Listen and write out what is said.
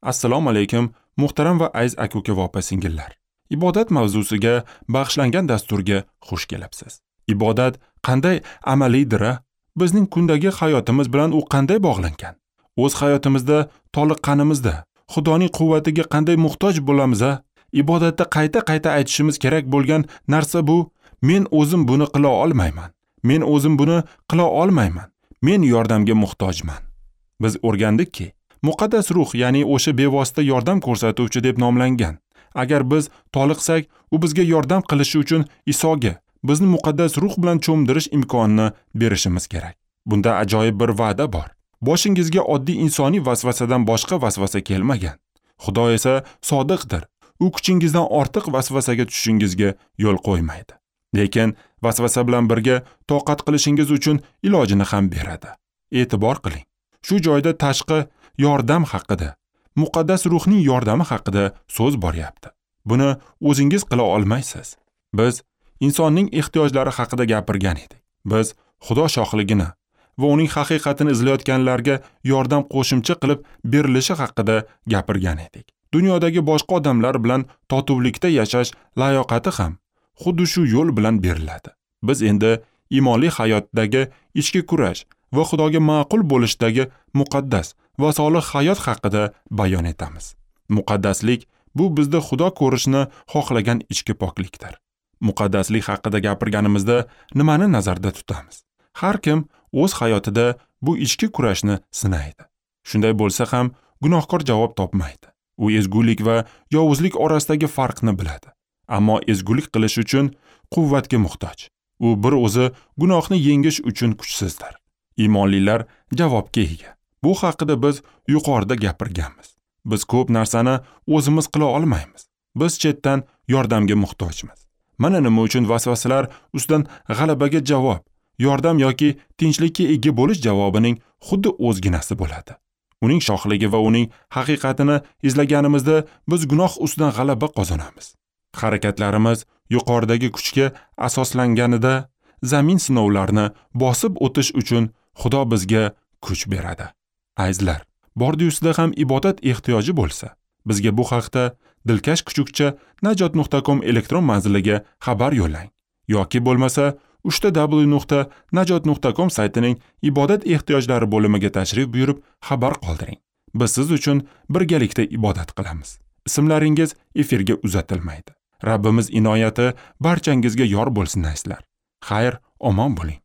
Assalomu alaykum, muhtaram va aziz aka-uka va opa-singillar. Ibodat mavzusiga bag'ishlangan dasturga xush kelibsiz. Ibodat qanday amaliydir? Bizning kundagi hayotimiz bilan u qanday bog'langan? O'z hayotimizda toliqqanimizda Xudoning quvvatiga qanday muhtoj bo'lamiz? Ibodatda qayta-qayta aytishimiz kerak bo'lgan narsa bu: men o'zim buni qila olmayman. Men o'zim buni qila olmayman. Men yordamga muhtojman. Biz o'rgandikki, Muqaddas ruh, ya'ni o'sha bevosita yordam ko'rsatuvchi deb nomlangan. Agar biz toliqsak, u bizga yordam qilishi uchun Isoga bizni muqaddas ruh bilan cho'mdirish imkonini berishimiz kerak. Bunda ajoyib bir va'da bor. Boshingizga oddiy insoniy vasvasadan boshqa vasvasa kelmagan. Xudo esa sodiqdir. U kuchingizdan ortiq vasvasaga tushishingizga yo'l qo'ymaydi. Lekin vasvasa bilan birga toqat qilishingiz uchun ilojini ham beradi. E'tibor qiling. Shu joyda tashqi yordam haqida, muqaddas ruhning yordami haqida so'z boryapti. Buni o'zingiz qila olmaysiz. Biz insonning ehtiyojlari haqida gapirgan edik. Biz Xudo shohligini va uning haqiqatini izlayotganlarga yordam qo'shimcha qilib berilishi haqida gapirgan edik. Dunyodagi boshqa odamlar bilan totuvlikda yashash layoqati ham xuddi shu yo'l bilan beriladi. Biz endi iymonli hayotdagi ichki kurash va Xudoga ma'qul bo'lishdagi muqaddas va solih hayot haqida bayon etamiz. Muqaddaslik bu bizda Xudo ko'rishni xohlagan ichki poklikdir. Muqaddaslik haqida gapirganimizda nimani nazarda tutamiz? Har kim o'z hayotida bu ichki kurashni sinaydi. Shunday bo'lsa ham gunohkor javob topmaydi. U ezgulik va yovuzlik orasidagi farqni biladi. Ammo ezgulik qilish uchun quvvatga muhtoj. U bir o'zi gunohni yengish uchun kuchsizdir. Iymonlilar javobga ega. Bu haqida biz yuqorida gapirganmiz. Biz ko'p narsani o'zimiz qila olmaymiz. Biz chetdan yordamga muhtojmiz. Mana nima uchun vasvasalar ustidan g'alabaga javob, yordam yoki tinchlikka ega bo'lish javobining xuddi o'zginasi bo'ladi. Uning shohligi va uning haqiqatini izlaganimizda biz gunoh ustidan g'alaba qozonamiz. Harakatlarimiz yuqoridagi kuchga asoslanganida zamin sinovlarini bosib o'tish uchun Xudo bizga kuch beradi. Azizlar, bordi-ustida ham ibodat ehtiyoji bo'lsa, bizga bu haqda dilkash kuchukcha najot.com elektron manziliga xabar yo'llang yoki bo'lmasa www.najot.com saytining ibodat ehtiyojlari bo'limiga tashrif buyurib xabar qoldiring. Biz siz uchun birgalikda ibodat qilamiz. Ismlaringiz efirga uzatilmaydi. Rabbimiz inoyati barchangizga yor bo'lsin, azizlar. Xayr, omon bo'ling.